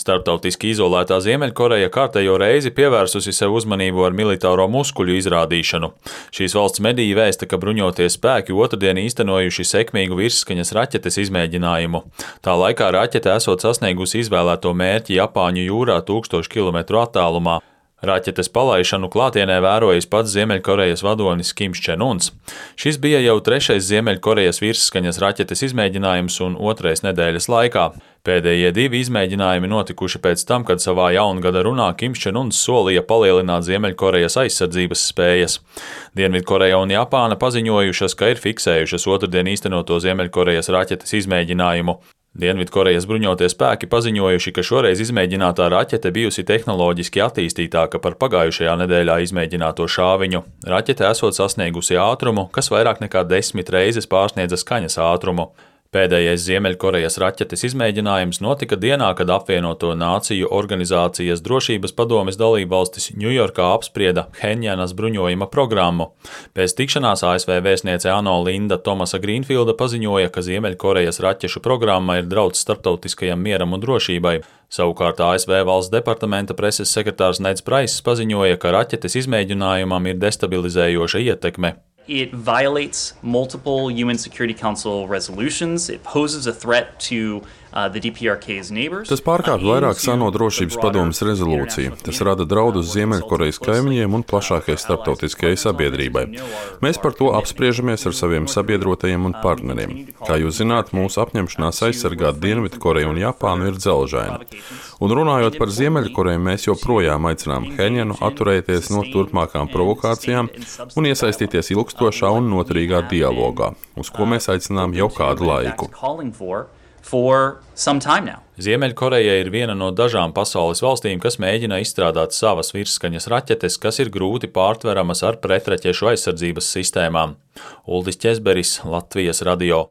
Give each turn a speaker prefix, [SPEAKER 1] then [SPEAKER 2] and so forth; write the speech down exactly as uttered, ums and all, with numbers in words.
[SPEAKER 1] Starptautiski izolētā Ziemeļkoreja kārtējo reizi pievērsusi sev uzmanību ar militāro muskuļu izrādīšanu. Šīs valsts mediji vēsta, ka bruņotie spēki otrdien īstenojuši sekmīgu virsskaņas raķetes izmēģinājumu. Tā laikā raķete esot sasniegusi izvēlēto mērķi Japāņu jūrā tūkstošu kilometru attālumā. Raķetes palaišanu klātienē vērojis pats Ziemeļkorejas vadonis Kims Čen Uns. Šis bija jau trešais Ziemeļkorejas virsskaņas raķetes izmēģinājums un otrais nedēļas laikā. Pēdējie divi izmēģinājumi notikuši pēc tam, kad savā jaungada runā Kims Čen Uns solīja palielināt Ziemeļkorejas aizsardzības spējas. Dienvidkoreja un Japāna paziņojušas, ka ir fiksējušas otrdien īstenoto Ziemeļkorejas raķetes izmēģinājumu. Dienvidkorejas bruņotie spēki paziņojuši, ka šoreiz izmēģinātā raķete bijusi tehnoloģiski attīstītāka par pagājušajā nedēļā izmēģināto šāviņu. Raķete esot sasniegusi ātrumu, kas vairāk nekā desmit reizes pārsniedza skaņas ātrumu. Pēdējais Ziemeļkorejas raķetes izmēģinājums notika dienā, kad apvienoto nāciju organizācijas drošības padomes dalībvalstis Ņujorkā apsprieda Phenjanas bruņojuma programmu. Pēc tikšanās A S V vēstniece ANO Linda Tomasa Grīnfilda paziņoja, ka Ziemeļkorejas raķešu programma ir draudz starptautiskajam mieram un drošībai. Savukārt A S V valsts departamenta preses sekretārs Neds Praiss paziņoja, ka raķetes izmēģinājumam ir destabilizējoša ietekme.
[SPEAKER 2] It violates multiple U N Security Council resolutions. It poses a threat to uh, the D P R K's neighbors.
[SPEAKER 3] Tas pārkāpj vairāk ANO drošības padomes rezolūciju. Tas rada draudus Ziemeļkorejas kaimiņiem un plašākai starptautiskajai sabiedrībai. Mēs par to apspriežamies ar saviem sabiedrotajiem un partneriem. Kā jūs zināt, mūsu apņemšanās aizsargāt Dienvidkoreju un Japānu ir dzelžaina. Un runājot par Ziemeļkoreju, mēs joprojām aicinām Phenjanu atturēties no turpmākām provokācijām un iesaistīties ilgstošā un noturīgā dialogā, uz ko mēs aicinām jau kādu laiku.
[SPEAKER 1] Ziemeļkoreja ir viena no dažām pasaules valstīm, kas mēģina izstrādāt savas virsskaņas raķetes, kas ir grūti pārtveramas ar pretraķešu aizsardzības sistēmām. Uldis Ķezberis, Latvijas radio.